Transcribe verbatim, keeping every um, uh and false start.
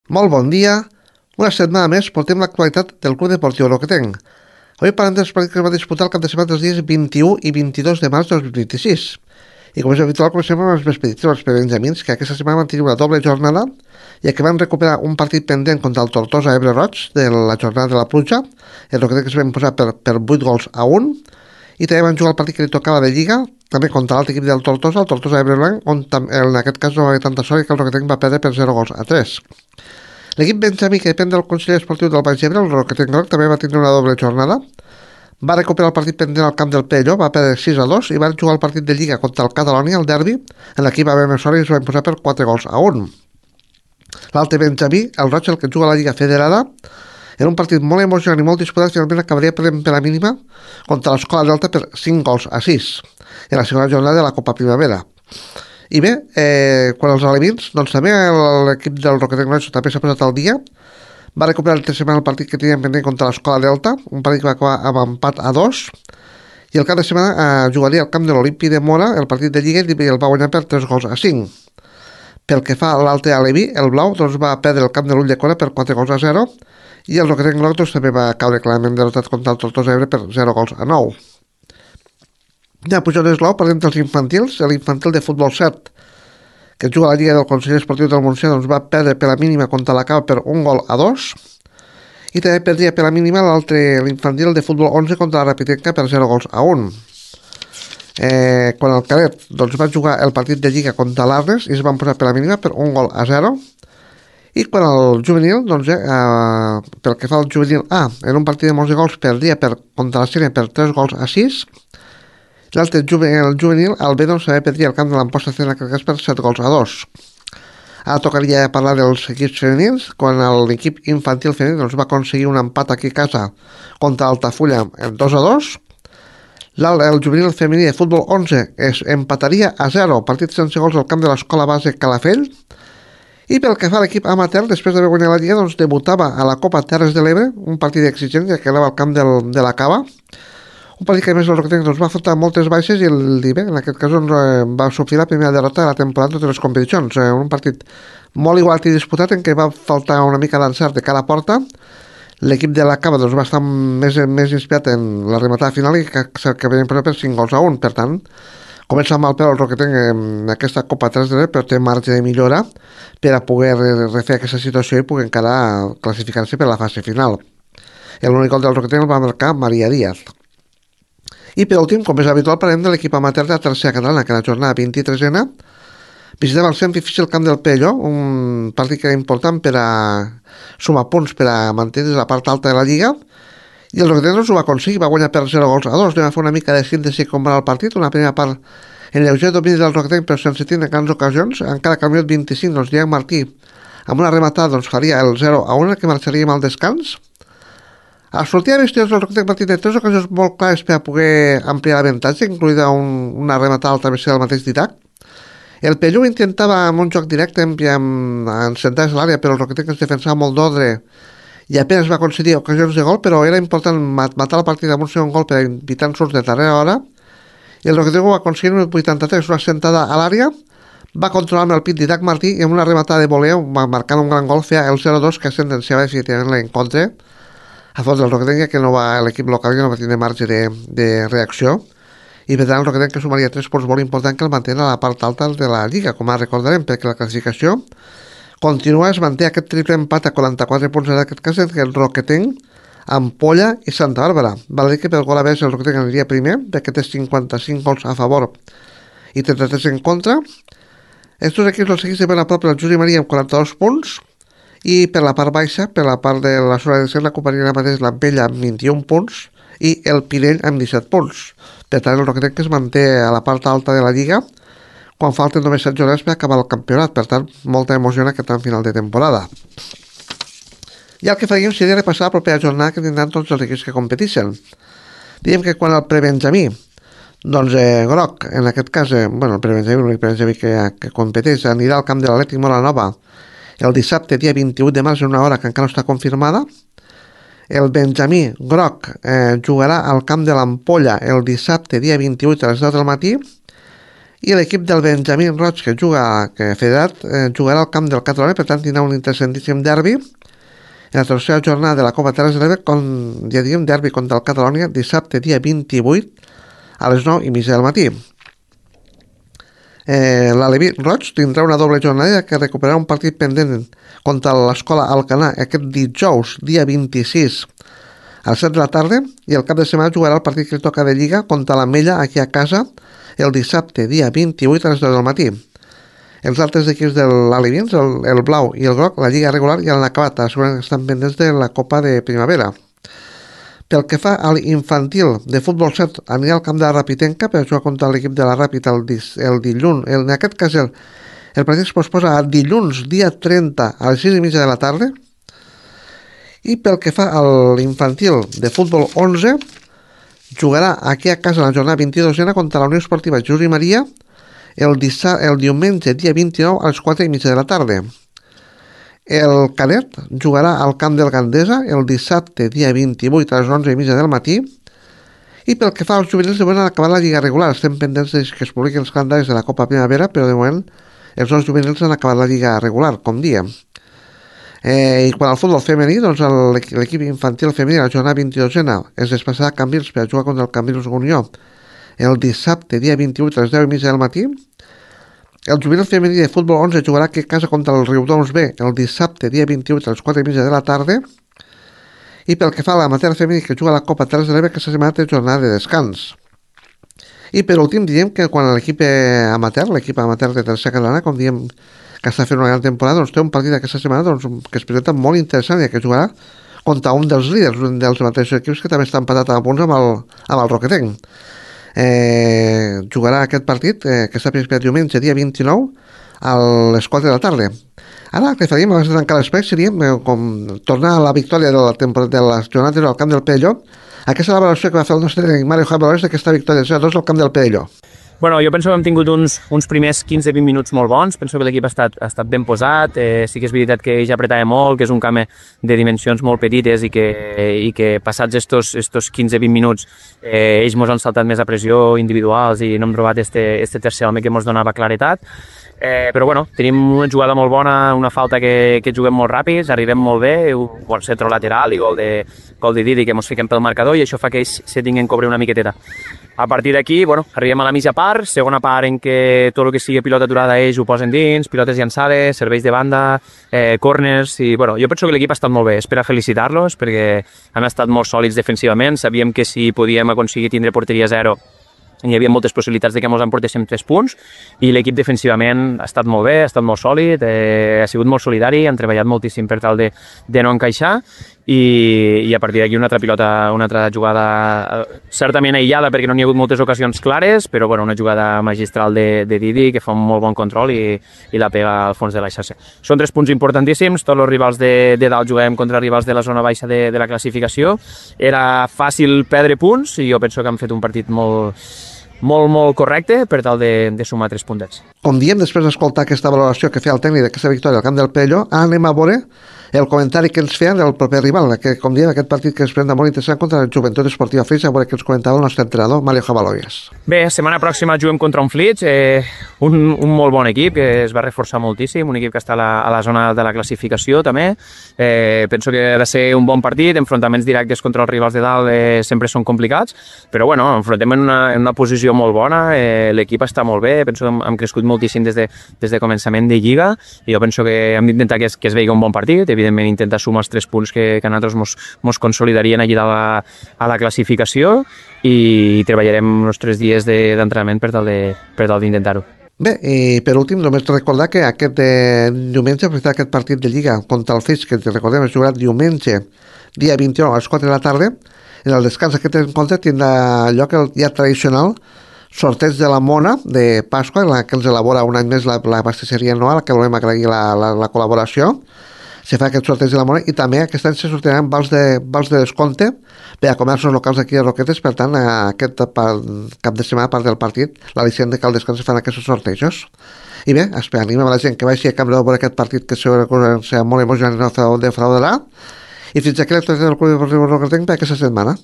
Molt bon dia. Una setmana més portem l'actualitat del Club Deportiu Roquetenc. Avui parlem dels partits que es va disputar el cap de setmana dels dies vint-i-u i vint-i-dos de març de dos mil vint-i-sis. I com és habitual, comencem amb els més petits, els benjamins, que aquesta setmana van tenir una doble jornada, ja que van recuperar un partit pendent contra el Tortosa Ebre Roig de la jornada de la pluja, el Roquetenc es va imposar per, per vuit gols a un, i també van jugar el partit que li tocava de Lliga, també contra l'altre equip del Tortosa, el Tortosa Ebre Blanc, on en aquest cas no va haver tanta sort que el Roquetenc va perdre per zero gols a tres. L'equip benjamí, que depèn del Consell Esportiu del Baix Ebre, el Roquetenc Groc, també va tenir una doble jornada. Va recuperar el partit pendent al camp del Pello, va perdre sis a dos i va jugar el partit de Lliga contra el Catalònia, el derbi, en l'equip va haver més sort i es va imposar per quatre gols a un. L'altre benjamí, el Roig, el que juga a la Lliga Federada, era un partit molt emocionant i molt disputat, finalment acabaria per, per la mínima contra l'Escola Delta per cinc gols a sis, en la segona jornada de la Copa Primavera. I bé, eh, quan els alevins, doncs també l'equip del Roquetenc Groig també s'ha posat al dia, va recuperar el tercer setmana el partit que tenien pendent contra l'Escola Delta, un partit que va acabar amb empat a dos, i el cap de setmana eh, jugaria al camp de l'Olimpi de Mora el partit de Lliga i el va guanyar per tres gols a cinc. Pel que fa a l'altre aleví, el blau doncs, va perdre el camp de l'Ull de Cora per quatre gols a zero, i el Roquetenc Groc doncs, també va caure clarament derrotat contra el Tortosa Ebre per zero gols a nou. Ja pujant esglau, parlem dels infantils, l'infantil de futbol set, que juga a la Lliga del Consell Esportiu del Montsià, doncs va perdre per la mínima contra la Cava per un gol a dos, i també perdria per la mínima l'altre, l'infantil de futbol onze contra la Rapitenca per zero gols a un. Eh, quan el Cadet doncs, va jugar el partit de Lliga contra l'Arnes i es van posar per la mínima per un gol a zero, i quan el juvenil, doncs, eh, eh, pel que fa al juvenil A, en un partit de molts gols perdria per, contra la Sèrie per tres gols a sis, l'altre juvenil, el juvenil, el B doncs, també perdria el camp de l'Amposta Cena Carcàs per set gols a dos. Ara tocaria parlar dels equips femenins, quan l'equip infantil femení doncs, va aconseguir un empat aquí a casa contra Altafulla en dos a dos. El juvenil femení de futbol onze es empataria a zero, partit sense gols al camp de l'Escola Base Calafell. I pel que fa a l'equip amateur, després d'haver guanyat la Lliga, doncs, debutava a la Copa Terres de l'Ebre, un partit exigent, ja que anava al camp del, de la Cava. Un partit que a més el Roquetenc doncs, va afrontar moltes baixes i el I B, en aquest cas doncs, va sofrir la primera derrota de la temporada en totes les competicions. Un partit molt igual i disputat en què va faltar una mica d'encert de cara a porta. L'equip de la Cava doncs, va estar més, més inspirat en la rematada final i que, que venien per cinc gols a un. Per tant, comença amb el peu el Roquetenc en aquesta Copa tres de però té marge de millora per a poder refer aquesta situació i poder encara classificar-se per a la fase final. L'únic gol del Roquetenc el va marcar Maria Díaz. I per últim, com és habitual, parlem de l'equip amateur de la tercera catalana, que la jornada vint-i-tresena visitava el Centre Difícil Camp del Pello, un partit que era important per a sumar punts per a mantenir la part alta de la Lliga, i el Roquetenc ho va aconseguir, va guanyar per zero gols a dos. Anem a fer una mica de síntesi com va el partit, una primera part en lleuger domini del Roquetenc, però sense tindre grans ocasions, encara que al minut vint-i-cinc, doncs, Diego Martí, amb una rematada, doncs, faria el zero a un, que marxaríem al descans. A sortir de vestidors del Roquetenc partit de tres ocasions molt clares per a poder ampliar l'avantatge, incluïda un, una rematada al travesser del mateix Ditac. El Pello intentava amb un joc directe en, en, en sentar-se a l'àrea, però el Roquetenc es defensava molt d'ordre i apenas va concedir ocasions de gol, però era important matar el partit amb un segon gol per evitar ensurts de darrera hora, i el Roquetenc ho va aconseguir en el vuitanta-tres, una sentada a l'àrea, va controlar amb el pit Didac Martí i amb una rematada de voleu, marcant un gran gol, feia el zero a dos que sentenciava definitivament l'encontre a fons del Roquetenc, que no va, l'equip local que no va tenir marge de, de reacció, i per tant el Roquetenc que sumaria tres punts molt important que el mantén a la part alta de la Lliga, com ara recordarem, perquè la classificació continua, es manté aquest triple empat a quaranta-quatre punts en aquest cas entre el Roquetenc, Ampolla i Santa Bàrbara. Val dir que pel gol a més el Roquetenc aniria primer, perquè té cinquanta-cinc gols a favor i trenta-tres en contra. Estos equips els seguís de ben a prop el Juli Maria amb quaranta-dos punts, i per la part baixa, per la part de la zona de descens, ocuparia la mateix l'Ampella amb vint-i-un punts i el Pinell amb disset punts. Per tant, el Roquetenc que es manté a la part alta de la Lliga quan falten només set jornades per acabar el campionat. Per tant, molta emoció en aquest tram final de temporada. I el que faríem seria repassar la propera jornada que tindran tots els equips que competeixen. Diem que quan el prebenjamí, doncs eh, Groc, en aquest cas, eh, bueno, el prebenjamí, l'únic prebenjamí que, que competeix, anirà al camp de l'Atlètic Molanova el dissabte, dia vint-i-vuit de març, en una hora que encara no està confirmada. El benjamí Groc eh, jugarà al camp de l'Ampolla el dissabte, dia vint-i-vuit, a les deu del matí. I l'equip del Benjamín Roig, que juga que federat, eh, jugarà al camp del Catalonia, per tant tindrà un interessantíssim derbi en la tercera jornada de la Copa Terres de l'Ebre, com ja diguem, derbi contra el Catalonia, dissabte dia vint-i-vuit a les nou i mitja del matí. Eh, l'Aleví Roig tindrà una doble jornada que recuperarà un partit pendent contra l'Escola Alcanar aquest dijous, dia vint-i-sis a les set de la tarda, i el cap de setmana jugarà el partit que toca de Lliga contra l'Ametlla aquí a casa el dissabte, dia vint-i-vuit a les deu del matí. Els altres equips de l'Alevins, el, el Blau i el Groc, la Lliga regular ja l'han acabat, segurament estan pendents de la Copa de Primavera. Pel que fa a l'infantil de futbol set, anirà al camp de la Rapitenca per jugar contra l'equip de la Ràpita el, el dilluns. El, en aquest cas el, el partit es posposa a dilluns, dia trenta, a les sis i mitja de la tarda. I pel que fa a l'infantil de futbol onze, jugarà aquí a casa la jornada vint-i-dosena contra la Unió Esportiva Juli Maria el, dissa, el diumenge, dia vint-i-nou, a les quatre i mitja de la tarda. El cadet jugarà al camp del Gandesa el dissabte, dia vint-i-vuit, a les onze i mitja del matí. I pel que fa als juvenils, de moment han acabat la Lliga regular. Estem pendents que es publiquin els calendaris de la Copa Primavera, però de moment els dos juvenils han acabat la Lliga regular, com diem. Eh, I quan al futbol femení, doncs l'equip infantil femení, la jornada vint-i-dosena, es desplaçarà a Cambrils per jugar contra el Cambrils Unió el dissabte, dia vint-i-vuit, a les deu i mitja del matí. El juvenil femení de futbol onze jugarà aquí a casa contra el Riudoms B el dissabte, dia vint-i-vuit, a les quatre i mitja de la tarda. I pel que fa a l'amateur femení que juga a la Copa Terres de l'Ebre, aquesta setmana té jornada de descans. I per últim, diem que quan l'equip amateur, l'equip amateur de tercera catalana, com diem que està fent una gran temporada, doncs té un partit aquesta setmana doncs, que es presenta molt interessant i que jugarà contra un dels líders, un dels mateixos equips que també està empatat a punts amb el, amb el Roquetenc. Eh, jugarà aquest partit, eh, que està principiat diumenge, dia vint-i-nou, a les quatre de la tarda. Ara el que faríem abans de tancar l'espai seria eh, com tornar a la victòria de la temporada de les jornades al camp del Perelló. Aquesta és la valoració que va fer el nostre Mario Javier Valores d'aquesta victòria zero a dos al camp del Perelló. Bueno, jo penso que hem tingut uns, uns primers quinze vint minuts molt bons, penso que l'equip ha estat, ha estat ben posat, eh, sí que és veritat que ja apretava molt, que és un camp de dimensions molt petites i que, i que passats estos, estos quinze vint minuts eh, ells mos han saltat més a pressió individuals i no hem trobat este, este tercer home que mos donava claretat. Eh, però bueno, tenim una jugada molt bona, una falta que, que juguem molt ràpids, arribem molt bé, un bon centre lateral i gol de, gol de Didi que ens fiquem pel marcador i això fa que ells se tinguin que cobrir una miqueteta. A partir d'aquí, bueno, arribem a la mitja part, segona part en què tot el que sigui pilota aturada ells ho posen dins, pilotes llançades, serveis de banda, eh, corners, i bueno, jo penso que l'equip ha estat molt bé, és per a felicitar-los perquè han estat molt sòlids defensivament, sabíem que si podíem aconseguir tindre porteria zero hi havia moltes possibilitats de que ens emportéssim tres punts i l'equip defensivament ha estat molt bé, ha estat molt sòlid, eh, ha sigut molt solidari, han treballat moltíssim per tal de, de no encaixar i, i a partir d'aquí una altra pilota, una altra jugada certament aïllada perquè no n'hi ha hagut moltes ocasions clares, però bueno, una jugada magistral de, de Didi que fa un molt bon control i, i la pega al fons de la xarxa. Són tres punts importantíssims, tots els rivals de, de dalt juguem contra rivals de la zona baixa de, de la classificació, era fàcil perdre punts i jo penso que han fet un partit molt molt, molt correcte per tal de, de sumar tres puntets. Com diem, després d'escoltar aquesta valoració que feia el tècnic d'aquesta victòria al camp del Perelló, anem a veure el comentari que ens feien del proper rival, que, com diem, aquest partit que es presenta molt interessant contra el Joventut Esportiva Flix, a veure què ens comentava el nostre entrenador, Mario Javaloies. Bé, setmana pròxima juguem contra un Flix, eh, un, un molt bon equip, que es va reforçar moltíssim, un equip que està a la, a la zona de la classificació també. Eh, penso que ha de ser un bon partit, enfrontaments directes contra els rivals de dalt eh, sempre són complicats, però bueno, enfrontem en una, en una posició molt bona, eh, l'equip està molt bé, penso que hem, hem crescut moltíssim des de, des de començament de Lliga i jo penso que hem d'intentar que es, que es vegi un bon partit, evidentment intentar sumar els tres punts que, que a nosaltres mos, mos consolidarien allí a la, a la classificació i treballarem els tres dies d'entrenament de, per tal de, per tal d'intentar-ho. Bé, i per últim només recordar que aquest eh, diumenge aquest partit de Lliga contra el Flix, que recordem es jugarà diumenge dia vint-i-nou a les quatre de la tarda. En el descans aquest encontre tindrà lloc el dia tradicional sorteig de la Mona de Pasqua, la que ens elabora un any més la, la pastisseria Noa, la que volem agrair la, la, la col·laboració. Se fa aquest sorteig de la Mona i també aquest any se sortejaran vals de, vals de descompte per a comerços locals d'aquí a Roquetes, per tant aquest cap de setmana a part del partit l'al·licient de que al descans se fan aquests sortejos. I bé, animem a la gent que vagi a Camp de veure aquest partit que segurament serà molt emocionant i no defraudarà. I fins aquí l'actualitat del Club Deportiu Roquetenc per aquesta setmana.